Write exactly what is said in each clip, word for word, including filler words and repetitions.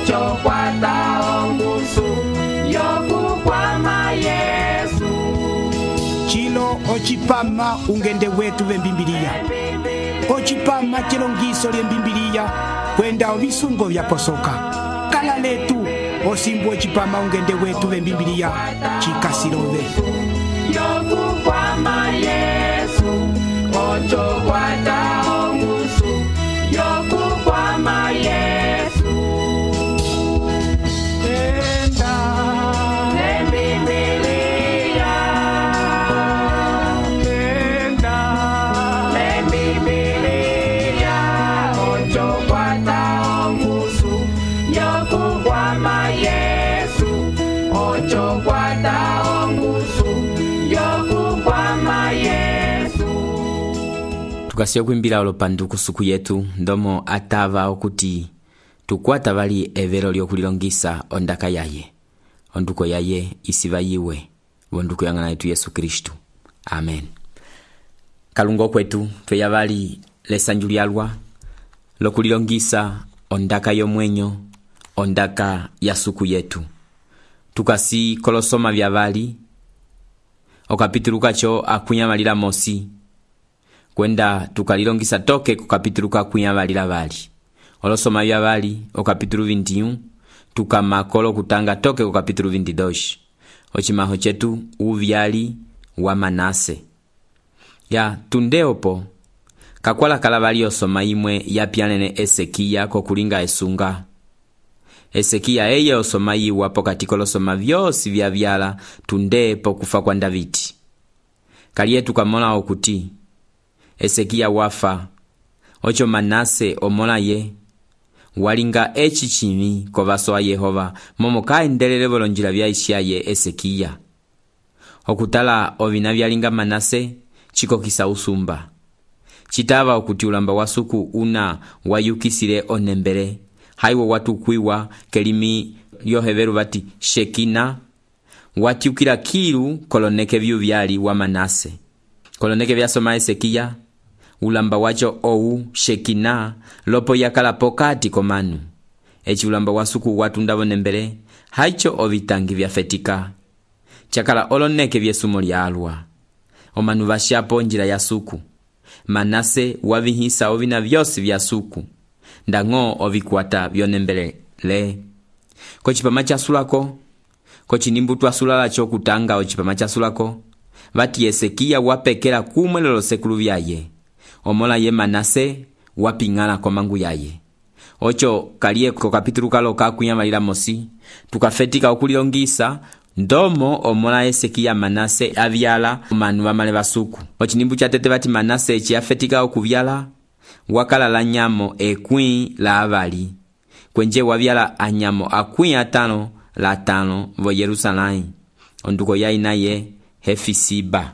ocho kwata ongusu yokukwama Yesu. Chilo ochipama ungende wetu vembimbilia. Ochipama chilongiso lye mbimbilia kwenda ovisungo vya posoka. Kala letu osimbu ochipama ungende wetu vembimbilia chikasilove. Yokukwama Yesu, ocho kwata ongusu yokukwama Yesu. Enda lembibilia, enda lembibilia, ocho kwata ongusu yokukwama Yesu, ocho kwata ongusu yokukwama Yesu. Tukasiya kwimbila olopanduku suku yetu ndomo atava okuti tukwata vali evero lyokulilongisa ondaka yaye onduko yaye isiva yiwe vonduko yang'ana yetu Yesu Kristu. Amen. Kalungo kwetu tweya vali lesanju lyalwa lokulilongisa ondaka yomwenyo ondaka ya suku yetu. Tukasi kolosoma vya vali okapitulu kacho akunyamalila mosi kwenda tukalilongisa toke kukapitulu kakunyamalila vali. Olosoma vya vali okapitulu vintiun tukamakolo kutanga toke kukapitulu vintidoshi. Ochimaho chetu uvyali wa Manase. Ya tundeopo kakwala kala vali osoma imwe ya pianene Esekia kokulinga esunga. Esekia eye osoma iwa pokati kolosoma vyosi vya vyala tundepo kufa kwa Davidi. Kalietu kamola okuti Esekia wafa ocho Manase omola ye walinga echi chimi kovaso wa Yehova momo kaendelele volonjila vya ishaye Esekia. Okutala ovina vyalinga Manase chiko kisa usumba. Chitava okuti ulamba wasuku una wayukisile onembele. Haiwo watu kuiwa kelimi yoheveru vati Shekina watiukila kilu koloneke vyu vyali wa Manase. Koloneke vya soma Esekia ulamba wacho ou Shekina lopo yakala pokati komanu. Echi ulamba wasuku watu ndavo nembele haicho ovitangi vya fetika. Chakala oloneke vye sumo lyalwa. Omanu vashapo njira ya suku. Manase wavihisa ovina vyosi vya suku. Ndango ovikuata vyonembele le. Kochipama chasulako kochinimbutu asulala chokutanga ochipama chasulako vati Esekia wapekela kumwe lolo sekulu vyaye. Omola ye Manase wapingala kwa mangu yaye. Ocho kalie ko kapitulu kalo kakunyamalila mosi tukafetika okulilongisa ndomo omola Esekia Manase avyala manu vamale vasuku. Ochinimbu cha tete vati Manase chiafetika okuvyala wakala la nyamo ekwi la avali. Kwenje wavyala anyamo akwi atano la tano vo Yerusalai. Onduko ya inaye Hefisiba.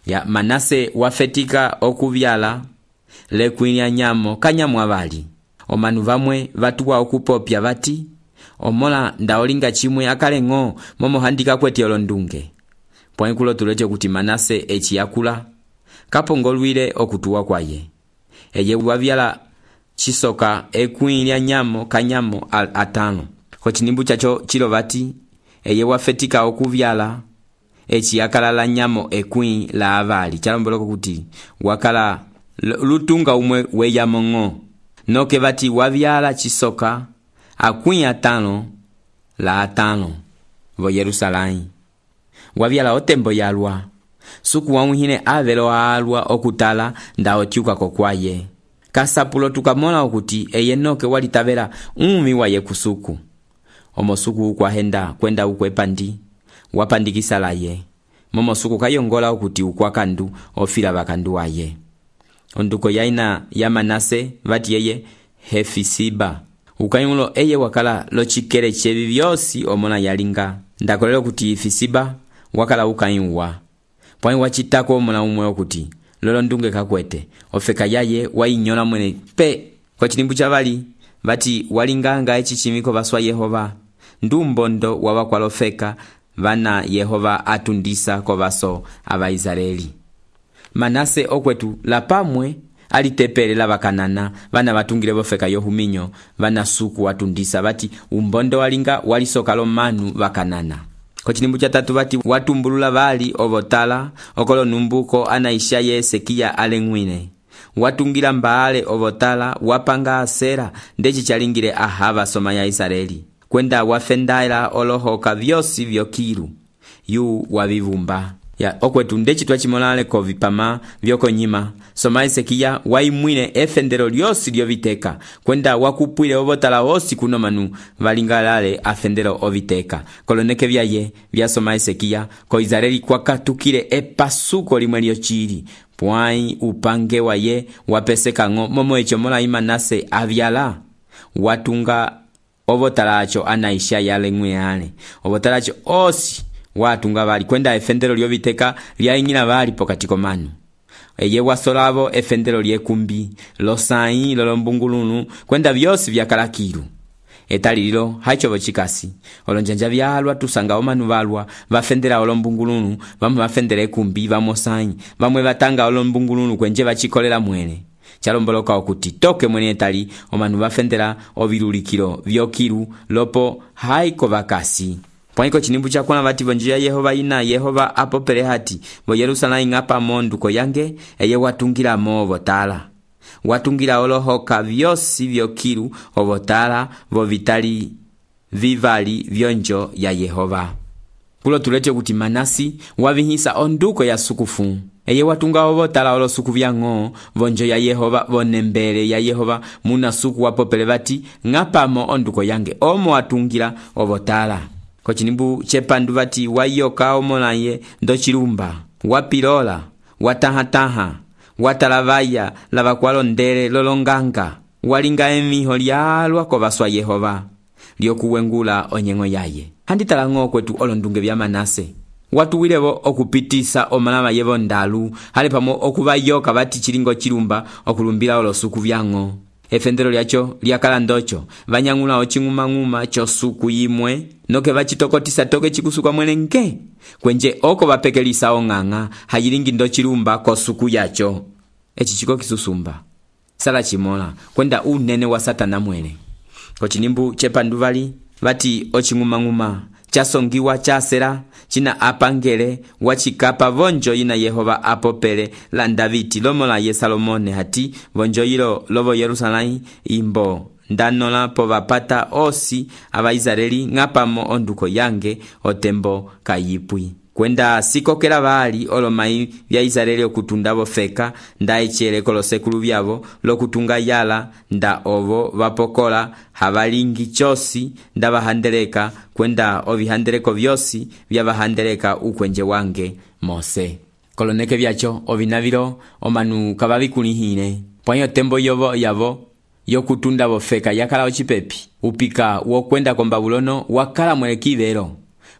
Ya Manase wafetika okuvyala le kwi anyamo kanyamo avali. Omanu vamwe vatuwa okupopya vati omola ndaolinga chimwe akalengo momo handika kweti olondunge. Poinkulo tuleche kuti Manase echi yakula kapongolwile okutuwa kwaye. Eye wavyala chisoka ekwi lya nyamo kanyamo atano. Kochinimbu chacho chilo vati eye wafetika okuvyala echi yakala la nyamo ekwi la avali. Chalomboloko kuti wakala lutunga umwe weyamongo. Noke vati wavyala chisoka akwi atano la atano vo Yerusalai. Wavyala otembo yalwa. Suku wamuhine avelo alwa okutala nda otiuka kokwaye. Kasapulo tukamola okuti eye noke walitavela umi waye kusuku. Omosuku ukwahenda kwenda ukwepandi wapandikisa laye. Momosuku kayongola okuti ukwakandu ofila bakandu waye. Onduko yaina ya Manase vati yeye Hefisiba. Ukayungulo eye wakala lochikele chevi vyosi omona yalinga. Ndakolelo kuti Hefisiba wakala ukayunwa. Pwani wachitako omona umwe okuti lolo ndunge kakwete ofeka yaye wainyola mwene pe. Kwa chinimbu chavali vati walinganga echi chimiko baswa Yehova. Ndumbondo wawakwalofeka vana Yehova atundisa kwa baso aba Israeli. Manase okwetu lapamwe alitepelela vakanana vana vatungile vofeka yohuminyo vana suku watundisa vati umbondo walinga walisoka lomanu vakanana. Kocinimbu cha tatu vati watumbulula vali ovotala okolo numbuko anaisha ye Hezekia alengwine. Watungila mbaale ovotala wapanga asera ndechi chalingile ahava soma ya Israeli. Kwenda wafendaila olohoka vyosi vyokiru yu wavivumba. Ya okwetu ndechi twachimolale ko vipama vyoko nyima. Soma Hezekia waimwine efendero lyosi lyoviteka. Kwenda wakupwile ovotala osi kuno manu valingalale afendero oviteka. Koloneke vyaye vya soma Hezekia ko Israeli kwakatukile epasuko limwe lyochili. Pwai upange waye wapeseka ngo momo echo mola Manase avyala. Watunga ovotala acho anaisha yale ngwe yale. Ovotala acho osi watunga vali kwenda efendero lyoviteka lyaingila vali pokatiko manu. Eye wasolavo efendero lyekumbi losai lolombungulunu kwenda vyosi vyakalakiru. Etalililo haichovo chikasi olonjanja vyalwa tusanga omanu valwa vafendera olombungulunu vamwe vafendera ekumbi vamosai vamwe vatanga olombungulunu kwenje vachikolera mwene. Chalomboloka okuti toke mwene etali omanu vafendera ovilulikilo vyokiru lopo haiko vakasi. Pwaniko chinimbu chakona vati vonjia Yehova ina Yehova apopele hati vo Yerusalemu ngapa monduko yange eye watungira mo votala. Watungira olohoka vyosi vyokiru ovotala vo vitali vivali vyonjo ya Yehova. Kulo tulete kuti Manasi wavihisa onduko ya sukufu. Eye watunga ovotala olo suku vyango vonjo ya Yehova vonembele ya Yehova muna suku wapopele vati ngapamo onduko yange omo watungira ovotala. Kochinimbu chepandu vati wayoka omolaye ndochilumba wapilola watahataha watalavaya lavakwalondele lolonganga walinga emiho lyalwa kovaswa Yehova lyokuwengula onyengo yaye. Handitala ngo kwetu olondunge vya Manase watuwilevo okupitisa omalama yevo ndalu hale pamo okuvayoka vati chilingo chilumba okulumbila olosuku vyango. Efendero lyacho lyakala ndocho vanyangula ochinguma-nguma chosuku yimwe noke vachitokotisa toke chikusuka mwene nge kwenje oko vapekelisa onganga hayilingi ndochilumba kosuku yacho. Echi chiko kisusumba sala chimola kwenda unene wa Satana mwene. Kochinimbu chepanduvali vati ochinguma-nguma chasongiwa chasera china apangele wachikapa vonjo ina Yehova apopele la Daviti lomola ye Salomone hati vonjo ilo lovo Yerusalemu imbo ndanola po vapata osi ava Israeli ngapamo onduko yange otembo kayipwi. Kwenda sikokela vali olomai vya Israeli okutunda vofeka nda echere kolosekulu vyavo lokutunga yala nda ovo vapokola havalingi chosi nda vahandeleka kwenda ovihandeleko vyosi vya vahandeleka ukwenje wange Mose. Koloneke vyacho ovinavilo omanu kavavikulihine pwanyo tembo yovo yavo yokutunda vofeka yakala ochipepi upika wokwenda ko Babulono wakala mwelekivelo.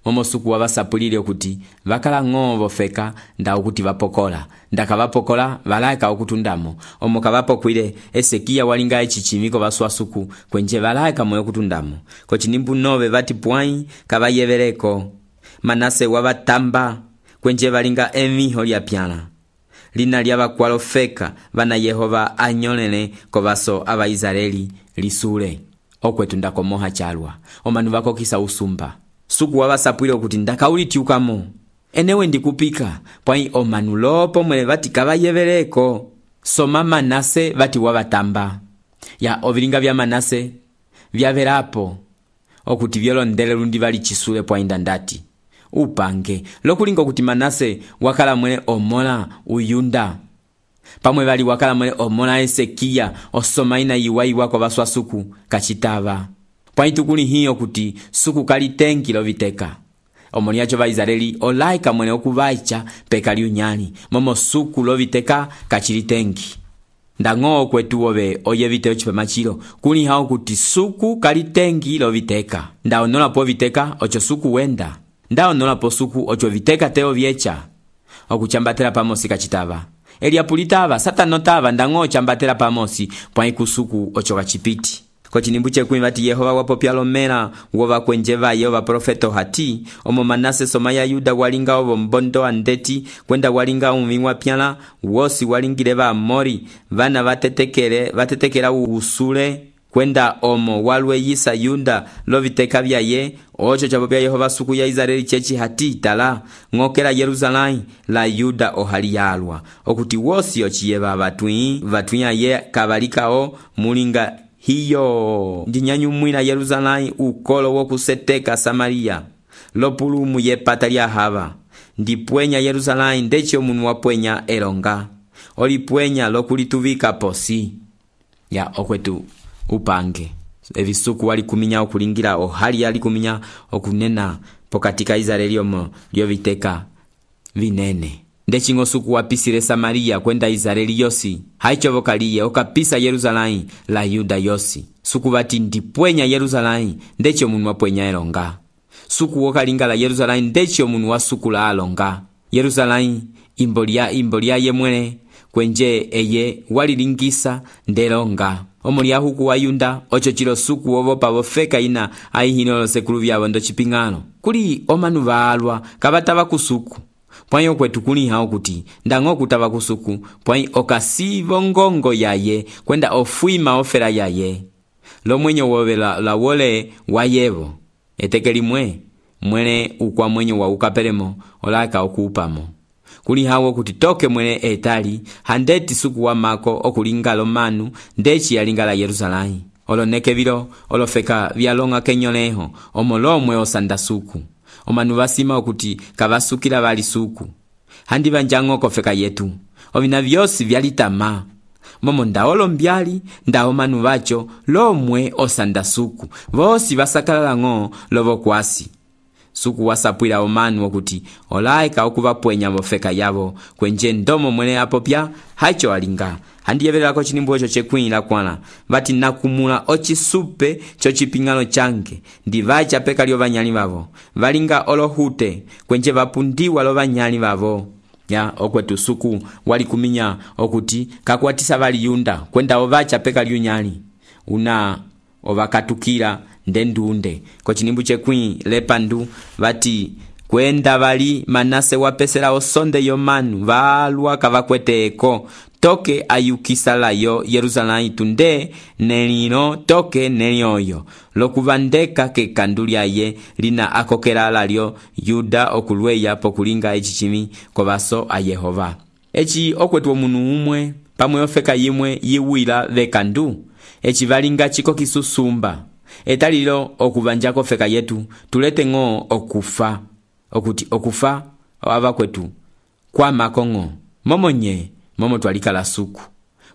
Momo suku wavasapulile okuti vakala ng'o vofeka nda okuti vapokola ndaka vapokola valaika okutundamo omo kavapokwile Hezekia walinga echichimiko vaswa suku kwenje valaika moyo kutundamo. Kochinimbu nove vati pwai kavayevereko Manase wavatamba kwenje valinga emiho lya pyala lina lya vakwalofeka vana Yehova anyolele kovaso ava Israeli lisule okwetunda komoha chalwa omanu vakokisa usumba. Suku wavasapwile okuti ndakaulitiukamo enewe ndikupika pwai omanu lopo mwele vati kavayevereko. Soma Manase vati wavatamba ya ovilinga vya Manase vyaverapo okuti vyolondele lundi vali chisule pwai ndandati upange lokulinga okuti Manase wakala mwele omola uyunda pamwe vali wakala mwele omola Hezekia osoma ina iwai wako vaswa suku kachitava. Pwai tukuli hiyo kuti suku kalitengi loviteka omoni yacho va Israeli olaika mwene okuvaicha peka liunyali momo suku loviteka kachilitengi. Ndang'o kwetu ove oye viteo chipamachilo kuli hao kuti suku kalitengi loviteka nda onola po viteka ocho suku wenda nda onola po suku ocho viteka teo vyecha okuchambatela pamosi kachitava. Eliapulitava satanotava ndang'o chambatela pamosi pwai kusuku ocho kachipiti. Kochinimbu chekwi vati Yehova wapopya lomela wova kwenje vaye vaprofeto hati omo Manase soma ya Yuda walinga ovo mbondo andeti kwenda walinga umviwa pyala wosi walingile va Amori vana vatetekele vatetekela usule kwenda omo walweyisa Yuda loviteka vyaye ocho chapopya Yehova suku ya Israeli chechi hati tala ngokela Yerusalemu la Yuda ohali yalwa okuti wosi ochiyeva vatwi vatwi ye kabalikao mulinga hiyo ndinyanyumwila Yerusalemu ukolo wokuseteka Samaria lopulumu ye pata lya hava ndipwenya Yerusalemu ndechi omunu wapwenya elonga olipwenya lokulituvika posi ya okwetu upange evisuku wali kuminya okulingira ohali yali kuminya okunena pokatika Israeli omo lyoviteka vinene ndechi ngosuku wapisile Samaria kwenda Israeli yosi haicho vokaliye okapisa Yerusalemu la Yuda yosi suku vati ndipwenya Yerusalemu ndechi omunu wapwenya elonga suku wokalinga la Yerusalemu ndechi omunu wasukula alonga Yerusalemu imbolia imbolia yemwele kwenje eye walilingisa ndelonga omuli ahuku wa Yuda ocho chilo suku wovopa vofeka ina aihino sekulu vyavo ndo chipingano kuli omanu valwa kavatava kusuku pwai okwetu kuli hao kuti ndango kutava kusuku pwai okasivo ngongo yaye kwenda ofuima ofera yaye lo mwenye wovela la wole wayevo etekeli mwe mwene ukwa mwenye wa ukapelemo olaka okuupamo kuli hawo kuti toke mwene etali handeti suku wa mako okulinga lomanu ndechi yalinga la Yerusalemu oloneke vilo olofeka vyalonga kenyoleho omolomwe osanda suku omanu vasima okuti kavasukila vali suku handi vanjango kofeka yetu ovina vyosi vyalitama momo ndaolo mbyali ndao manu vacho lomwe osanda suku vosi vasakala ngo lovo kwasi suku wasapwila omanu okuti olaika okuvapwenya vofeka yavo kwenje ndomo mwene apopya hacho alinga handi yevelako chinimbu ocho chekwila kwana vati nakumula ochisupe chochipingano change ndivacha peka lyo vanyali vavo valinga olohute kwenje vapundiwa lo vanyali vavo ya okwetu suku wali kuminya okuti kakwatisa vali Yuda kwenda ovacha peka lyo nyali una ovakatukila ndendunde kochinimbu chekwi lepandu vati kwenda vali Manase wapesela osonde yomanu valwa kavakweteko toke ayukisala yo Yerusalemu tunde nelino toke nelioyo lokuvandeka ke kandulia ye lina akokela lalyo Yuda okulweya pokulinga echichimi kovaso a Yehova echi okwetu omunu umwe pamwe ofeka yimwe yiwila vekandu echi valinga chiko kisusumba etalilo okuvanja kofeka yetu tulete ngo okufa okuti okufa ava kwetu kwa makongo momonye momo twalika la suku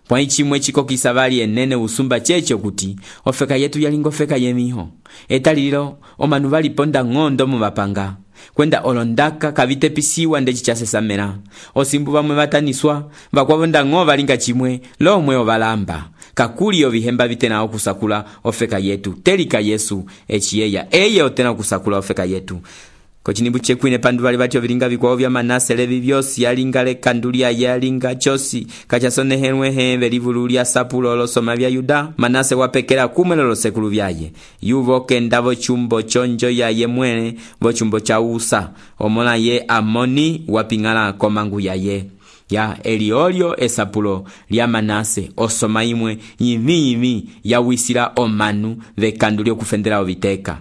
pwa ichimwe chiko kisavali enene usumba checho kuti ofeka yetu yalingo feka yemiho etalilo omanu vali ponda ngondo mu vapanga kwenda olondaka kavite pisiwa ndechi chasesamela osimbu vamwe vataniswa vakwavonda ngo valinga chimwe lomwe ovalamba kakuli ovihemba vitena okusakula ofeka yetu telika Yesu echiyeya eye otena okusakula ofeka yetu kochinimbu chekwine pandu vali vati ovilinga vikwao vya Manase levi vyosi yalinga lekandulia yalinga chosi kachasonehelwe hembe livulu lya sapulo losoma vya Yuda Manase wapekela kumwe lolo sekulu vyaye yuvo kenda vo chumbo chonjo yaye mwene vo chumbo cha Usa omola ye Amoni wapingala komangu yaye ya eliolio esapulo lya Manase osoma imwe yimi yimi ya wisila omanu vekandulio kufendela oviteka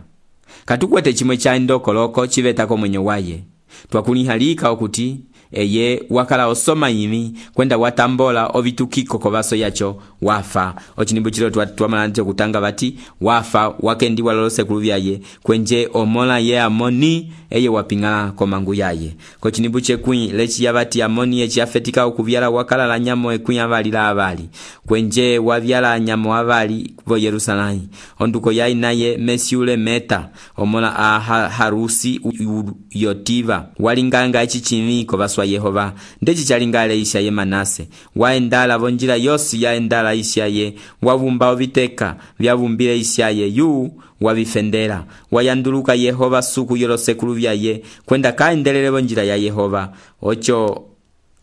katukwete chimwe cha ndokoloko chivetako mwenye waye twakulihalika okuti eye wakala osoma yimi kwenda watambola ovitukiko kovaso yacho wafa ochinimbu chilo twamalante kutanga vati wafa wakendiwa lolo sekulu vyaye kwenje omola ye Amoni eye wapingala komangu yaye kochinimbu chekwi lechi yavati Amoni echi afetika okuvyala wakala la nyamo ekwi avali la avali kwenje wavyala nyamo avali vo Yerusalemu onduko yayi naye Mesiule Meta omola a Harusi yotiva walinganga echi chimi kovaswa Yehova ndechi chalingale isha ye Manase waendala vonjila yosi yaendala isha ye wavumba oviteka vyavumbile isha ye yu wavifendela wayanduluka Yehova suku yolo sekulu vyaye kwenda kaendelele vonjila ya Yehova ocho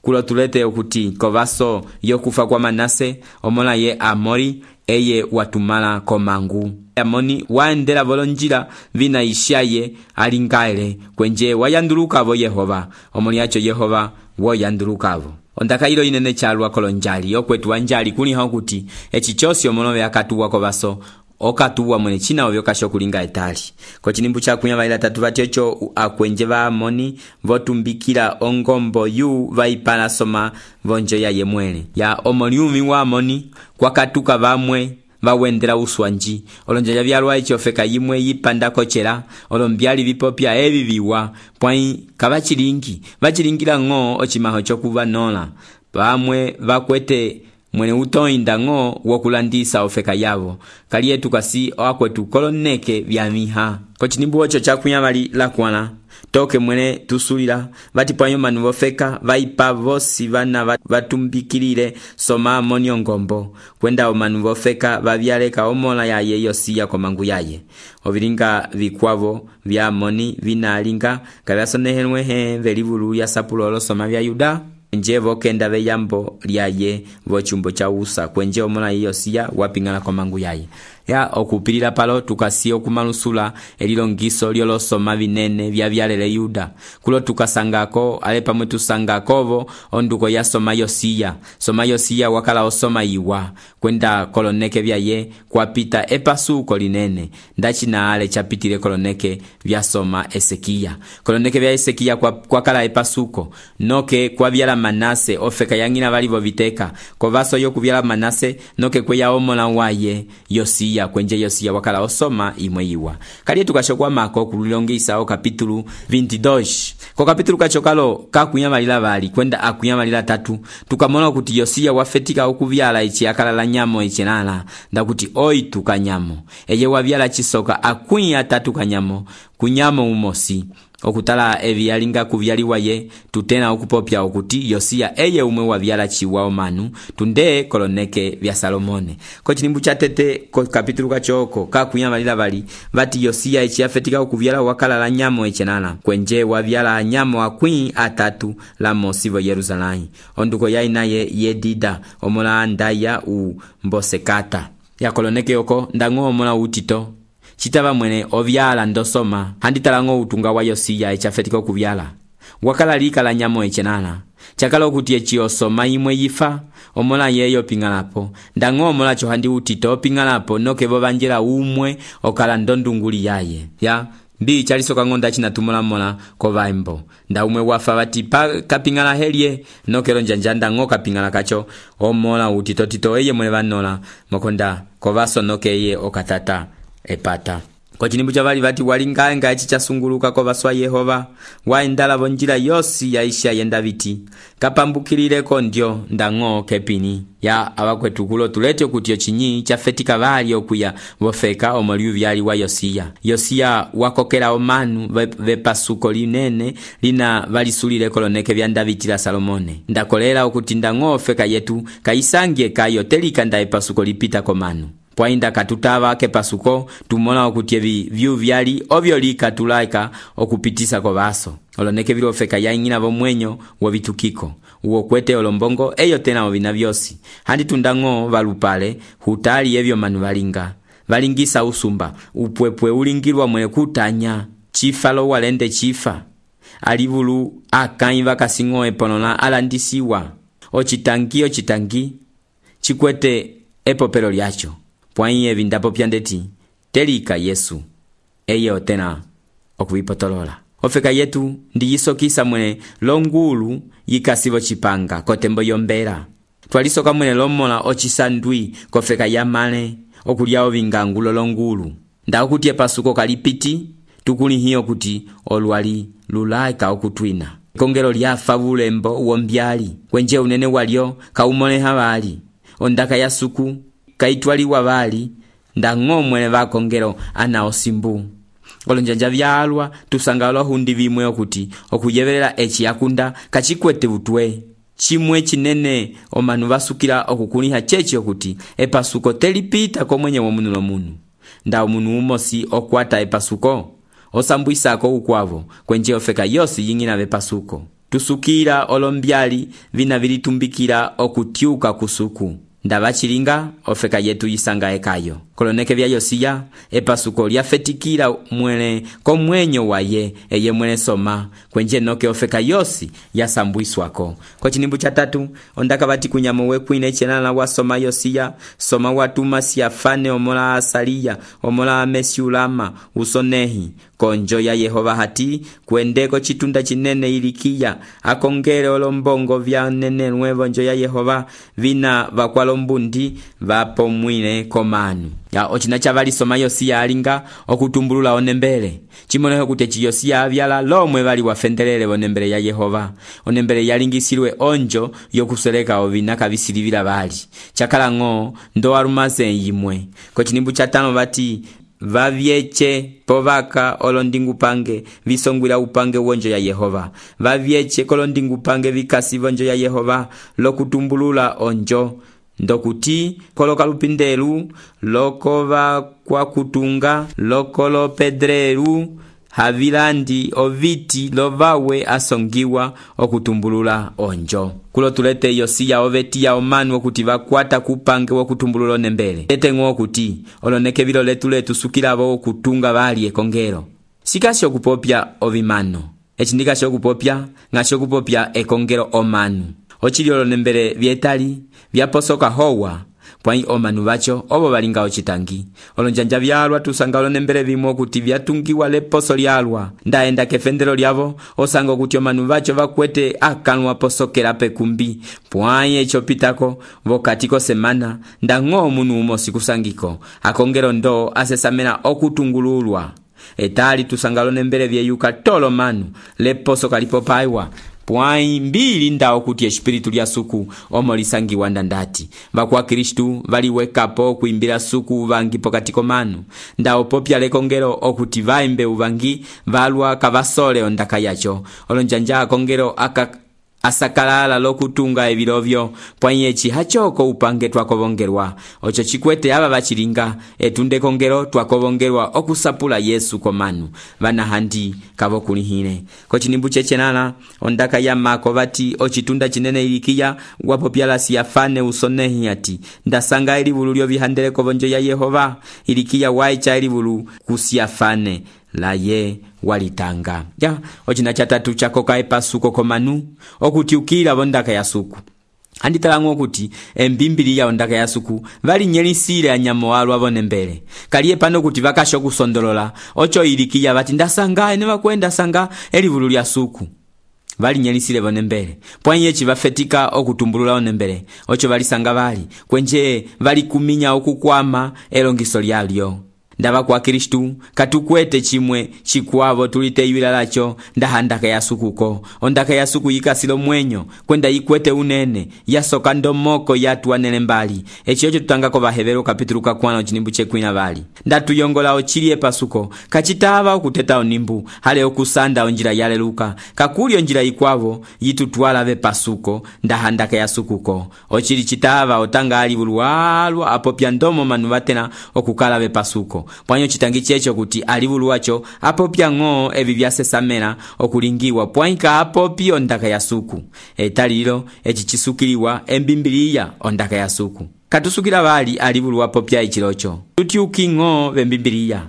kulo tulete okuti kovaso yokufa kwa Manase omola ye Amori eye watumala komangu. Amoni waendela volonjila vina ishaye alingaele kwenje wayandulukavo Yehova omoni yacho Yehova woyandulukavo. Ondaka ilo inene chalwa kolonjali okwetu wanjali kuni hakuti echi chosi omonove akatuwa kovaso okatuwa mwene china ovyo kasho kulinga etali. Kwa chinimbu cha kunyavaila tatu vachecho akwenje va amoni votumbikila ongombo yu vaipala soma vonjo ya yemwele. Ya omoniumi wa amoni kwa katuka vamwe vawendela uswanji. Olonjanja vyalwa ichofeka yimwe yipanda kochela. Olombyali vipopya evi viwa. Pwai kabachilingi. Bachilingila ngo ochimaho chokuva nola. Vamwe vakwete mwene utoinda ngo wokulandisa ofeka yavo. Kalietu kasi wakwetu koloneke vya miha. Kochinimbu ocho chakunyamali lakwana. Toke mwene tusulila vati pwanyo manu vofeka vaipa vosi vana vatumbikilile soma amoni ongombo kwenda omanu vofeka vavyaleka omola yaye Yosia komangu yaye. Ovilinga vikwavo vya amoni vinalinga kavyasonehenwe he velivulu ya sapulolo soma vya Yuda. Nje vokenda veyambo liaye vochumbo cha usa kwenje omola Yosia wapingana komangu yaye. Ya okupilila palo tukasi okumanusula elilongiso lyolosoma vinene vya vyalele Yuda. Kulo tukasangako alepa mwetu sangakovo onduko ya soma Yosia. Soma Yosia wakala osoma iwa kwenda koloneke vya ye kwa pita epasuko linene. Ndachi na ale chapitile koloneke vya soma Esekia. Koloneke vya Esekia kwa, kwa kala epasuko. Noke kwa vyala Manase ofeka yangina valivo viteka. Kwa vaso yoku vyala Manase noke kwe ya omola waye Yosia. Kwenje Yosia wakala osoma imwe iwa. Kali tukashokwa mako kulilongisa o kapitulu veintidois. Ko kapitulu kachokalo kakunyamalila vali kwenda akunyamalila tatu. Tukamona kuti Yosia wafetika okuvyala ichi akalala nyamo ichi nala. Nda kuti oi tukanyamo. Eye wavyala chisoka akunya tatu kanyamo. Kunyamo umosi. Okutala evi yalinga kuvyaliwa ye tutena okupopya okuti Yosia eye umwe wavyala chiwa omanu tunde koloneke vya Salomone. Ko chinimbu cha tete ko kapitulu kachoko kakunyamalila vali vati Yosia echi afetika okuvyala wakala la nyamo echenana kwenje wavyala nyamo akwi atatu la mosivo Yerusalemu. Onduko yaina ye Yedida omola andaya u mbosekata ya koloneke yoko ndango omola utito chitava mwene ovyala ndosoma handitalango utunga wa Yosia echafetika okuvyala wakala lika la nyamo echenana chakala okuti echi osoma imwe yifa omola yeyo pingalapo ndango omola cho handi utito pingalapo noke vovanjela umwe okala ndondunguli yaye ya mbi chalisoka ngonda china tumola mola kovaimbo nda umwe wafa vati pa kapingala helie nokelo njanjanda ngo kapingala kacho omola utito tito eye mwene vanola mokonda kovaso noke eye okatata epata. Kwa chinimbu chavali vati walinganga echi chasunguluka kwa vaswa Yehova waendala vonjila yosi ya isha yenda viti kapambukilileko ndio ndango kepini ya awakwetu kulo tulete kutio chinyi chafetika vali okuya vofeka omoliu vyali wa Yosia. Yosia wakokela omanu vepasuko linene lina valisulile koloneke vya Daviti la Salomone. Ndakolela okuti ndango feka yetu kaisangie kayo telika nda epasuko lipita komanu. Pwainda katutava ke pasuko tumona okuti evi vyu vyali ovyo lika tulaika okupitisa kwa vaso. Oloneke vilo feka ya ingina vomwenyo wavitukiko. Uo kwete olombongo eyo tena ovina vyosi. Handi tundango valupale hutali evyo manu valinga. Valingisa usumba. Upwepwe ulingirwa mwene kutanya. Chifalo walende chifa. Alivulu akaiva kasingo eponona alandisiwa. Ochitangi ochitangi. Chikwete epopelo liacho. Pwaiye vindapo pyandeti telika Yesu eye tena okuvipotolola. Ofeka yetu ndiyisokisa mwene longulu yikasivo chipanga kotembo yombera. Twalisoka mwene lomola ochisandwi kofeka yamale okuliao vingangulo longulu. Nda okuti pasuko kalipiti tukuli hiyo kuti olwali lulaika okutwina. Kongelo lyafa bulembo uombyali kwenje unene walio kaumone havali. Ondaka ya suku kaitwali wavali ndango mwene vakongero ana osimbu. Olonjanja vyalwa tusangalo hundi vimwe okuti okuyevelela echi yakunda kachikwete butwe. Chimwe chinene omanu vasukila okukuniha chechi okuti epasuko telipita ko mwenye womunulo munu. Nda omunu umosi okwata epasuko osambwisako ukwavo kwenje ofeka yosi yingina vepasuko. Tusukira olombyali vina vilitumbikira okutiuka kusuku. ndava chilinga ofeka yetu yisanga ekayo koloneke vya Yosiya epasuko lyafetikila mwele komwenyo waye eye mwele soma kwenje noke ofeka yosi yasambwiswako. Kwa chinimbu cha tatu ondaka bati kunyamo wekwine chenala wasoma Yosiya soma watuma siafane omola Asaliya omola Mesiulama usonehi konjo ya Yehova hati kuendeko chitunda chinene Ilikiya akongele olombongo vya nene nuevo njo ya Yehova vina vakwalo mbundi vapo mwine komanu ya ochina chavali soma Yosiya alinga okutumbulula onembele chimoneho kutechi Yosiya avyala lomwe vali wafendelele onembele ya Yehova onembele yalingisilwe onjo yokuseleka ovina kavisilivila vali chakala ngo ndo arumaze yimwe. Kwa chinimbu cha tano bati vavyeche povaka olondingu pange visongwila upange wonjo ya Yehova vavyeche kolondingu pange vikasi wonjo ya Yehova lokutumbulula onjo ndokuti koloka lupindelu lokova kwa kutunga lokolo pedreru havilandi oviti lovawe asongiwa okutumbulula onjo. Kulo tulete Yosiya oveti ya omanu okuti vakwata kupange wokutumbulula onembele lete ngo okuti oloneke vilo letu letu sukilavo okutunga vali ekongero sikasho kupopya ovimano echindika sho kupopya ngasho kupopya ekongero omanu ochili olonembele vietali vyaposoka howa pwai omanu vacho obo balinga ochitangi olonjanja vyalwa tusanga olonembele vimo kuti vyatungiwa leposo lyalwa ndaenda kefendelo lyavo osanga kuti omanu vacho vakwete akanwa posokela pekumbi pwai echo pitako vokatiko semana ndango munu umosi kusangiko akongero ndo asesamena okutungululwa etali tusanga olonembele vyeyuka tolo manu leposo kalipo paiwa pwai mbili ndao kuti espiritu lya suku omo lisangiwa ndandati vakwa Kristu valiwekapo kuimbila suku uvangi pokatiko manu ndao popya lekongero okuti vaimbe uvangi valwa kavasole ondaka yacho olonjanja akongero aka asakalala lokutunga evilovyo pwai echi hachoko upange twakovongerwa ocho chikwete aba bachilinga etunde kongero twakovongerwa okusapula Yesu komanu vana handi kavo kulihine. Ko chinimbu chechenala ondaka ya mako vati ochitunda chinene Ilikiya wapo pyala siafane usonehi ati ndasanga elivulu lyo vihandele kovonjo ya Yehova Ilikiya waicha elivulu kusiafane la ye walitanga ya ochina chatatu chakoka epasuko komanu okuti ukila bondaka ya suku anditalango okuti embimbili ya ondaka ya suku vali nyelisile anyamo walwa bonembele kaliye pano kuti vakasho kusondolola ocho Ilikiya bati ndasanga ene bakwenda sanga elivulu lya suku vali nyelisile bonembele pwanye echi vafetika okutumbulula onembele ocho valisanga vali kwenje vali kuminya okukwama elongiso lyalyo ndava kwa Kristu katukwete chimwe chikwavo tulite iwila lacho ndahandaka ya sukuko ondaka ya suku yikasilo mwenyo kwenda yikwete unene yasoka ndomoko yatu anele mbali echi ocho tutangako vahevero kapitulu kakwana ochinimbu chekwina vali ndatuyongola ochilie pasuko kachitava okuteta onimbu hale okusanda onjira yaleluka kakuli onjira yikwavo yitutwala ve pasuko ndahandaka ya sukuko ochili chitava otanga ali bulualwa apopya ndomo manu vatena okukala ve pasuko pwanyo chitangi checho kuti alivulu wacho apopya ngo evi vyasesamena okulingiwa pwaika apopya ondaka ya suku etalilo echi chisukiliwa embimbiliya ondaka ya suku katusukila vali alivulu wapopya ichilocho tutyuki ngo vembimbiliya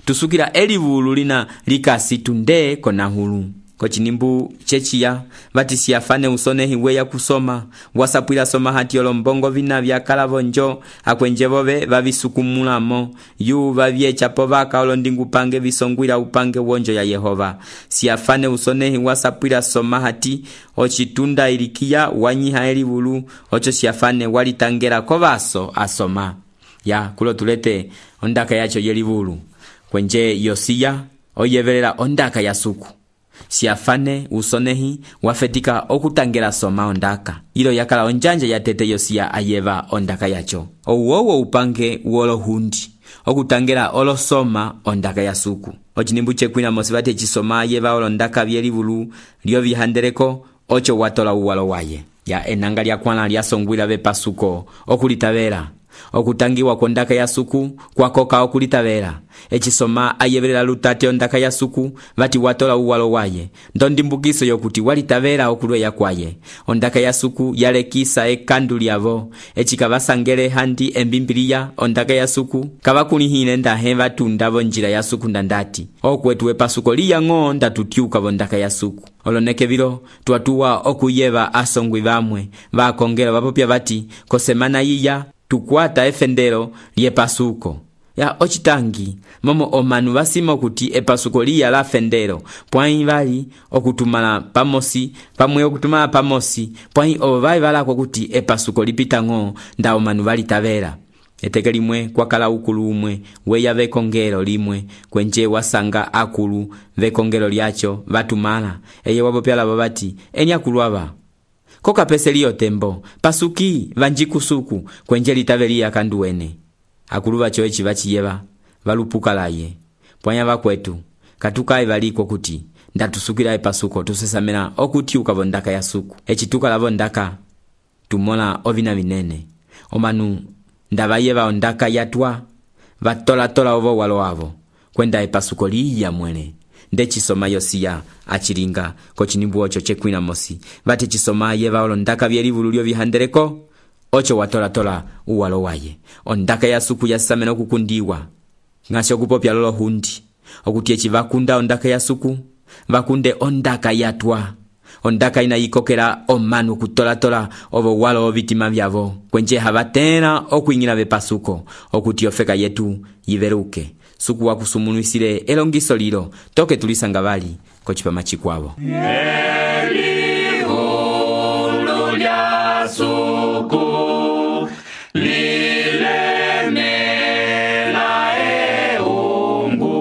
tusukila elivulu lina likasi tunde konahulu. Ko chinimbu chechiya vati siafane usonehi weya kusoma wasapwila soma hati olombongo vina vya kalavonjo akwenjevove vavisukumulamo yu vavyechapo vaka olondingu pange visongwila upange wonjo ya Yehova siafane usonehi wasapwila soma hati ochitunda Ilikiya wanyiha elivulu ocho siafane walitangela kovaso asoma ya kulo tulete ondaka yacho yelivulu kwenje Yosiya oyevelela ondaka ya suku siafane usonehi wafetika okutangela soma ondaka ilo yakala onjanja ya tete Yosiya ayeva ondaka yacho owowo upange wolo hundi okutangela olo soma ondaka ya suku ochinimbu chekwina mosivate chisoma ayeva olo ndaka vyelivulu lyo vihandeleko ocho watola uwalo waye ya enanga lya kwana lya songwila ve pasuko okulitavela okutangiwa kwondaka ya suku kwakoka okulitavela ecisoma ayevelela lutate ondaka ya suku vati watola uwalo waye ndondimbukiso yokuti walitavela okulweya kwaye ondaka ya suku yalekisa ekandu lyavo ecikavasangele handi embimbiliya ondaka ya suku kavakulihile ndahe vatunda vonjila ya suku ndandati okwetu epasuko liyang'o ndatutyuka vondaka ya suku oloneke vilo twatuwa okuyeva asongwi vamwe vakongelo vapopya vati kosemana yiya tukwata efendelo lyepasuko ya ocitangi momo omanu vasima okuti epasuko liya la fendelo pwai vali okutumala pamosi pamwe okutumala pamosi pwai ovo vali valakwa kuti epasuko lipita ng'o nda omanu valitavela eteke limwe kwakala ukulu umwe weya vekongelo limwe kwenje wasanga akulu vekongelo lyacho vatumala eye wapopyala vati eni akulu ava kokapese liyo tembo pasuki vanjikusuku kwenje litaveliya kanduwene akulu vacho eci vachiyeva valupukalaye pwanya vakwetu katukai valiko kuti ndatusukila epasuko tusesamela okutyuka vondaka ya suku eci tukala vondaka tumola ovina vinene omanu ndavayeva ondaka yatwa vatolatola ovo walo wavo kwenda epasuko liya mwene ndecisoma yosiya acilinga kocinimbu oco cekwina mosi vati cisoma yeva olondaka vyelivulu lyo vihandeleko ocho watolatola uwalo waye ondaka ya suku yasamena okukundiwa ng'asi okupopya lolo hundi okuti eci vakunda ondaka ya suku vakunde ondaka yatwa ondaka inayikokela omanu okutolatola ovo walo ovitima vyavo kwenje havatena okuing'ila vepasuko okuti ofeka yetu yiveluke suku wakusumunuisile elongiso lilo toke tulisanga vali kocipama cikwavo Elihulu lya suku lilemela eungu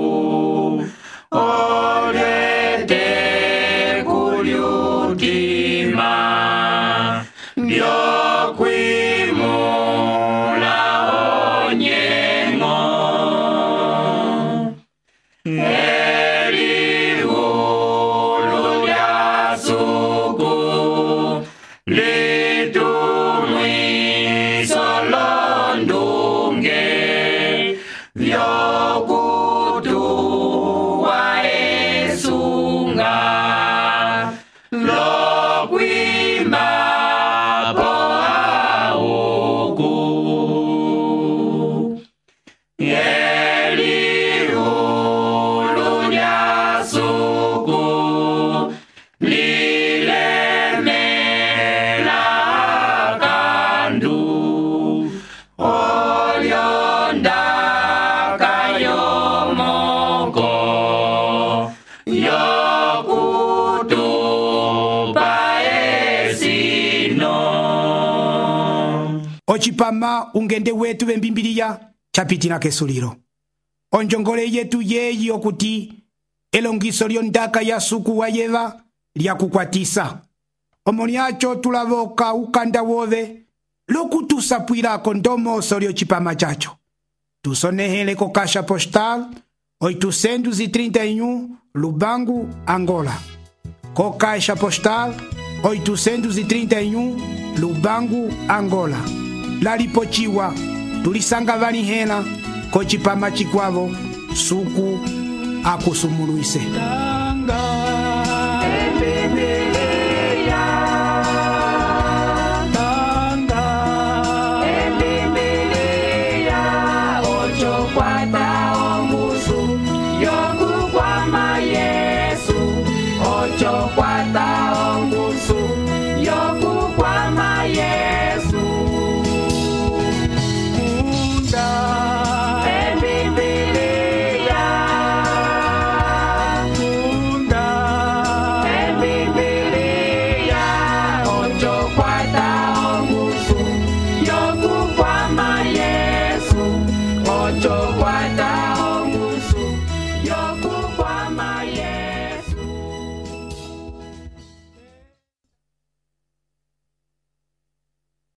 olete kulyutima byokwimula onyengo Elihulu lya suku litumwiso londunge vyokutuwa esunga lokwima po auku Elihulu lya suku lilemela kandu olyondaka yomoko yokutupa esino ocipama ungende wetu vembimbiliya capitila kesulilo onjongole yetu yeyi okuti elongiso lyondaka ya suku wayeva lyakukwatisa omo lyacho tulavoka ukanda wove lokutusapwilako ndomoso lyocipama cacho tusonehele ko caixa postal oitocentos e trinta e um Lubango, Angola ko caixa postal oitocentos e trinta e um Lubango, Angola lalipochiwa tulisanga valihela kocipama cikwavo suku akusumuluise Ocho guarda